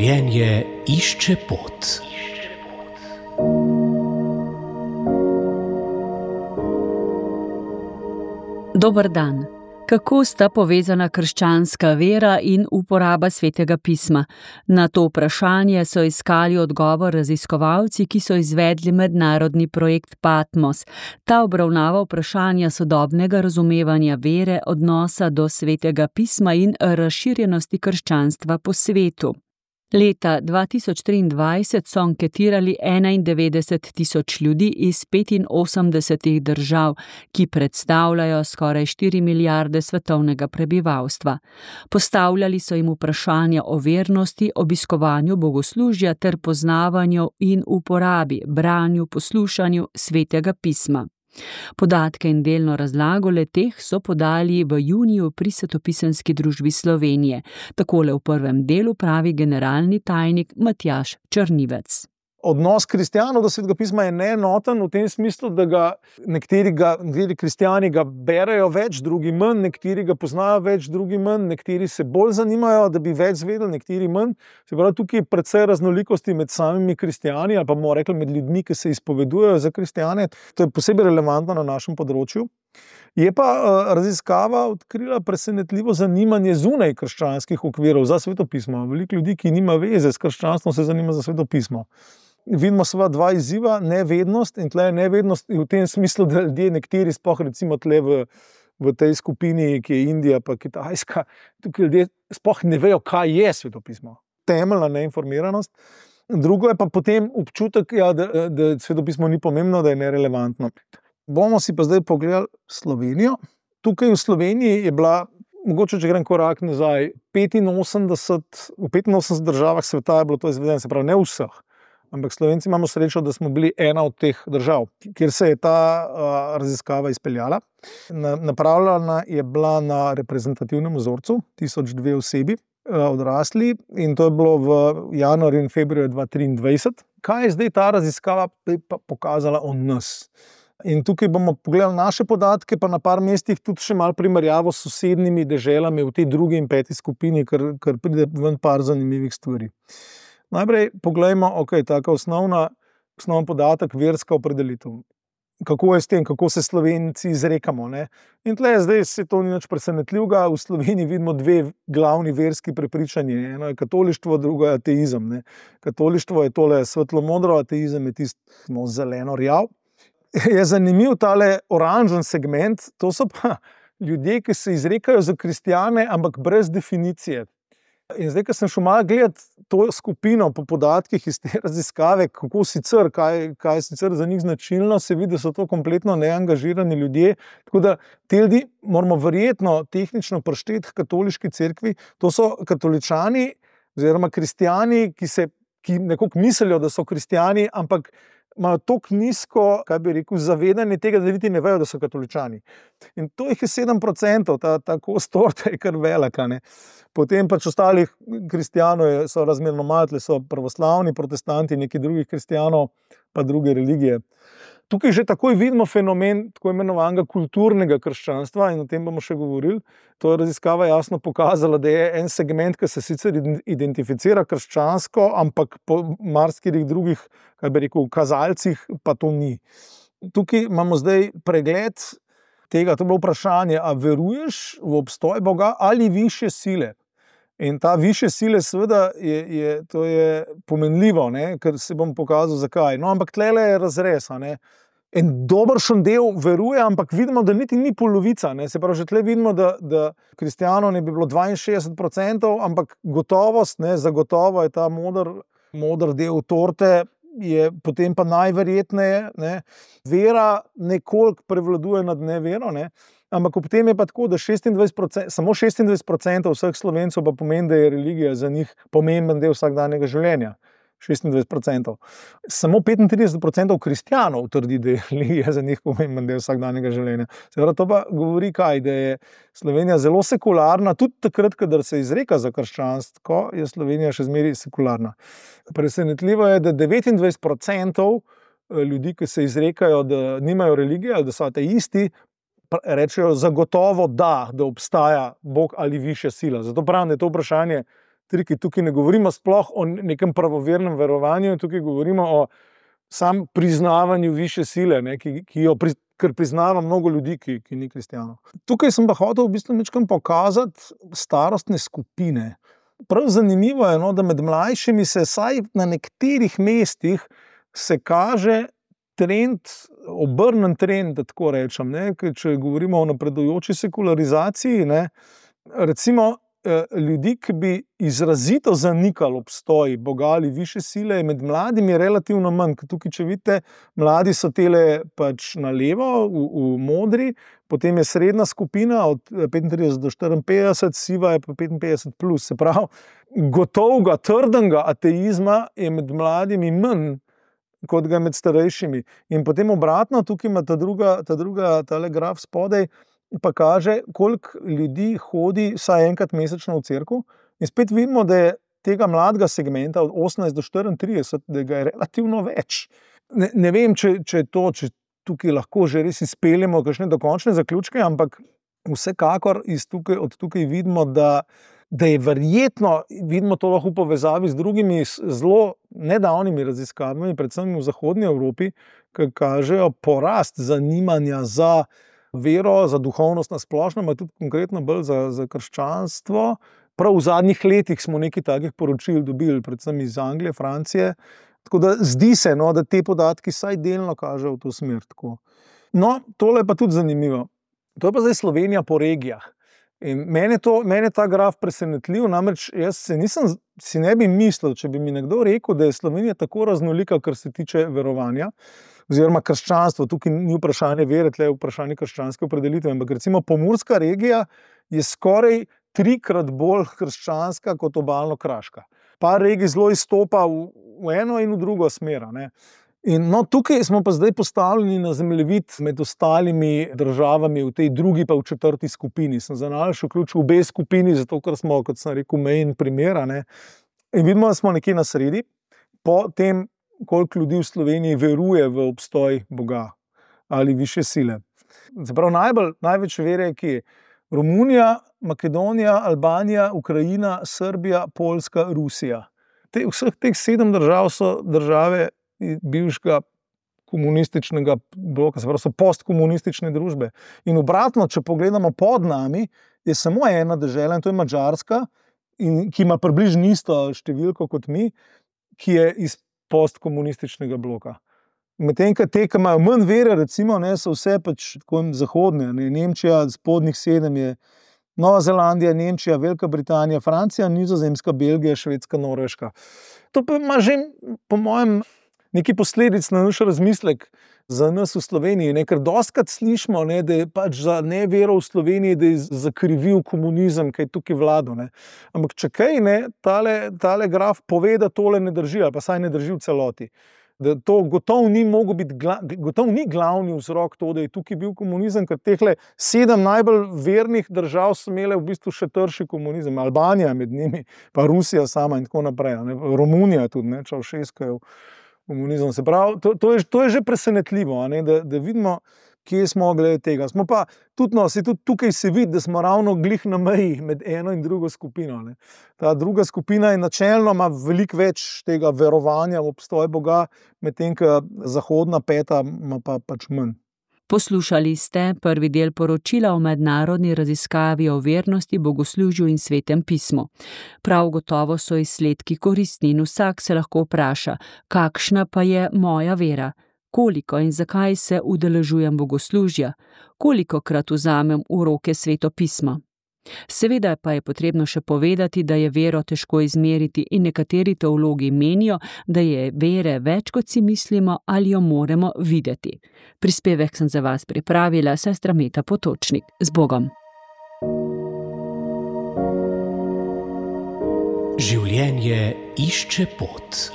Življenje išče pot. Dober dan. Kako sta povezana krščanska vera in uporaba Svetega pisma? Na to vprašanje so iskali odgovor raziskovalci, ki so izvedli mednarodni projekt Patmos. Ta obravnava vprašanja sodobnega razumevanja vere, odnosa do Svetega pisma in razširjenosti krščanstva po svetu. Leta 2023 so anketirali 91.000 ljudi iz 85 držav, ki predstavljajo skoraj 4 milijarde svetovnega prebivalstva. Postavljali so jim vprašanja o vernosti, obiskovanju bogoslužja ter poznavanju in uporabi, branju, poslušanju Svetega pisma. Podatke in delno razlago le-teh so podali v juniju pri Svetopisemski družbi Slovenije. Takole v prvem delu pravi generalni tajnik Matjaž Črnivec. Odnos kristjanov do Svetega pisma je neenoten v tem smislu, da nekateri kristjani ga berejo več, drugi manj, nekateri ga poznajo več, drugi manj, nekateri se bolj zanimajo, da bi več zvedeli, nekateri manj. Se pravi, tukaj je precej raznolikosti med samimi kristjani ali pa bomo rekli med ljudmi, ki se izpovedujejo za kristjane. To je posebej relevantno na našem področju. Je pa raziskava odkrila presenetljivo zanimanje zunaj krščanskih okvirov za Sveto pismo. Veliko ljudi, ki nima veze s krščanstvom, se zanima za Sveto pismo. Vidimo seveda dva izziva, nevednost in tle nevednost v tem smislu, da ljudje nekateri sploh recimo tle v tej skupini, ki je Indija pa Kitajska, tukaj ljudje sploh ne vejo, kaj je Sveto pismo. Temeljna neinformiranost. Drugo je pa potem občutek, da Sveto pismo ni pomembno, da je nerelevantno. Bomo si pa zdaj pogledali Slovenijo. Tukaj v Sloveniji je bila, mogoče če grem korak nazaj, v 85 državah sveta je bilo to izvedeno, se pravi ne vseh. Ampak Slovenci imamo srečo, da smo bili ena od teh držav, kjer se je ta raziskava izpeljala. Napravljena je bila na reprezentativnem vzorcu, 1002 osebi, odrasli, in to je bilo v januarju in februarju 2023. Kaj je zdaj ta raziskava pokazala o nas? In tukaj bomo pogledali naše podatke, pa na par mestih tudi še malo primerjavo s sosednjimi deželami v tej drugi in peti skupini, ker pride ven par zanimivih stvari. Najprej poglejmo, taka osnovni podatek, verska opredelitev. Kako je s tem, kako se Slovenci izrekamo, ne? In tle zdaj se to ni nič presenetljivega. V Sloveniji vidimo dve glavni verski prepričanji. Eno je katolištvo, drugo je ateizem, ne? Katolištvo je tole svetlo-modro, ateizem je tisto zeleno-rjav. Je zanimiv tale oranžen segment, to so pa ljudje, ki se izrekajo za kristjane, ampak brez definicije. In zdaj, ko sem šel malo gledati to skupino po podatkih iz te raziskave, kako sicer, kaj je sicer za njih značilno, se vidi, da so to kompletno neangažirani ljudje. Tako da te ljudi moramo verjetno tehnično prišteti k katoliški cerkvi. To so katoličani oziroma kristjani, ki nekako mislijo, da so kristjani, ampak imajo toliko nizko, zavedanje tega, da niti ne vejo, da so katoličani. In to jih je 7%, ta kos torte je kar velika, ne. Potem pač ostalih kristjanov so razmerno malo, so pravoslavni, protestanti, nekaj drugih kristjanov, pa druge religije. Tukaj že takoj vidimo fenomen tako imenovanega kulturnega krščanstva in o tem bomo še govorili. To je raziskava jasno pokazala, da je en segment, ki se sicer identificira krščansko, ampak po marsikateri drugih, kazalcih pa to ni. Tukaj imamo zdaj pregled tega, to je bilo vprašanje, a veruješ v obstoj Boga ali višje sile? In ta višje sile seveda to je pomenljivo, ne? Ker se bom pokazal zakaj. No, ampak tlele je razrez, ne? En dobršen del veruje, ampak vidimo, da niti ni polovica, ne? Se pravi, že tle vidimo, da kristjanov ne bi bilo 62%, ampak gotovost, ne, zagotovo je ta moder del torte, je potem pa najverjetneje, ne, vera nekoliko prevladuje nad nevero, ne, ampak ob tem je pa tako, da samo 26% vseh Slovencev pa pomeni, da je religija za njih pomemben del vsakdanjega življenja. 26%. Samo 35% kristjanov trdi, da je religija za njih pomemben del vsakdanjega življenja. Seveda to pa govori kaj, da je Slovenija zelo sekularna, tudi takrat, kadar se izreka za krščanstvo, je Slovenija še zmeraj sekularna. Presenetljivo je, da 29% ljudi, ki se izrekajo, da nimajo religije ali da so ateisti, rečejo zagotovo da obstaja Bog ali višja sila. Zato pravim, da je to vprašanje triki. Tukaj ne govorimo sploh o nekem pravovernem verovanju, tukaj govorimo o sam priznavanju višje sile, ne, ker priznava mnogo ljudi, ki ni kristjanov. Tukaj sem pa hotel v bistvu nekaj pokazati starostne skupine. Prav zanimivo je, no, da med mlajšimi se vsaj na nekaterih mestih se kaže obrnen trend, da tako rečem, ne, če govorimo o napredujoči sekularizaciji, ne, recimo ljudi, ki bi izrazito zanikali obstoj Boga ali višje sile, med mladimi je relativno manj. Tukaj, če vidite, mladi so tele pač na levo, v modri, potem je srednja skupina od 35 do 54, siva je pa 55 plus. Se pravi, gotovega, trdnega ateizma je med mladimi manj, kot ga med starejšimi. In potem obratno, tukaj ima tale graf spodaj, pa kaže, koliko ljudi hodi vsaj enkrat mesečno v cerkev. In spet vidimo, da je tega mladega segmenta od 18 do 34, da ga je relativno več. Ne vem, če tukaj lahko že res izpeljemo kakšne dokončne zaključke, ampak vsekakor od tukaj vidimo, da je verjetno, vidimo to lahko v povezavi z drugimi zelo nedavnimi raziskavami, predvsem v zahodni Evropi, ki kažejo porast zanimanja za vero, za duhovnost na splošno, pa tudi konkretno bolj za krščanstvo. Prav v zadnjih letih smo nekaj takih poročil dobili, predvsem iz Anglije, Francije. Tako da zdi se, no, da te podatki vsaj delno kažejo v to smer. Tako. No, tole je pa tudi zanimivo. To je pa zdaj Slovenija po regijah. In mene je ta graf presenetljiv, namreč jaz si ne bi mislil, če bi mi nekdo rekel, da je Slovenija tako raznolika, kar se tiče verovanja, oziroma krščanstvo. Tukaj ni vprašanje vere, tle je vprašanje krščanske opredelitve, ampak recimo pomurska regija je skoraj 3-krat bolj krščanska kot obalno-kraška. Par regij zelo izstopa v eno in v drugo smer, ne. In no, tukaj smo pa zdaj postavljeni na zemljevid med ostalimi državami v tej drugi pa v 4. skupini. Sem za nalaž vključil obe skupini, zato ker smo, kot sem rekel, mejen primer, ne. In vidimo, da smo nekje na sredi, po tem, koliko ljudi v Sloveniji veruje v obstoj Boga ali višje sile. Se pravi, največ vere je kje? Romunija, Makedonija, Albanija, Ukrajina, Srbija, Poljska, Rusija. Vseh teh 7 držav so države bivšega komunističnega bloka, se pravi, so postkomunistične družbe. In obratno, če pogledamo pod nami, je samo ena dežela, in to je Madžarska, ki ima približno isto številko kot mi, ki je iz postkomunističnega bloka. Medtem, ki imajo manj vere, recimo, ne, so vse pač tako zahodne, ne, Nemčija, spodnjih 7 je Nova Zelandija, Nemčija, Velika Britanija, Francija, Nizozemska, Belgija, Švedska, Norveška. To pa ima že, po mojem, neki posledic na naš razmislek za nas v Sloveniji, ne, ker dostikrat slišimo, ne, da je pač za nevero v Sloveniji, da je zakrivil komunizem, kaj je tukaj vladal, ne. Ampak če kaj, ne, tale graf pove, da tole ne drži, ali pa saj ne drži v celoti. Da to gotovo ni glavni vzrok to, da je tukaj bil komunizem, ker tehle 7 najbolj vernih držav so imele v bistvu še trši komunizem. Albanija med njimi, pa Rusija sama in tako naprej, ne. Romunija tudi, ne, Čaušesku je komunizem. Se pravi, to je že presenetljivo, ne, da vidimo, kje smo glede tega. Smo pa tudi tukaj se vidi, da smo ravno glih na meji med eno in drugo skupino, ne. Ta druga skupina je načelno ima veliko več tega verovanja v obstoj Boga, medtem ko zahodna peta ima pa pač manj. Poslušali ste prvi del poročila o mednarodni raziskavi o vernosti, bogoslužju in svetem pismu. Prav gotovo so izsledki koristni in vsak se lahko vpraša, kakšna pa je moja vera? Koliko in zakaj se udeležujem bogoslužja? Kolikokrat vzamem v roke sveto pismo? Seveda pa je potrebno še povedati, da je vero težko izmeriti in nekateri teologi menijo, da je vere več, kot si mislimo ali jo moramo videti. Prispevek sem za vas pripravila sestra Meta Potočnik. Z Bogom! Življenje išče pot.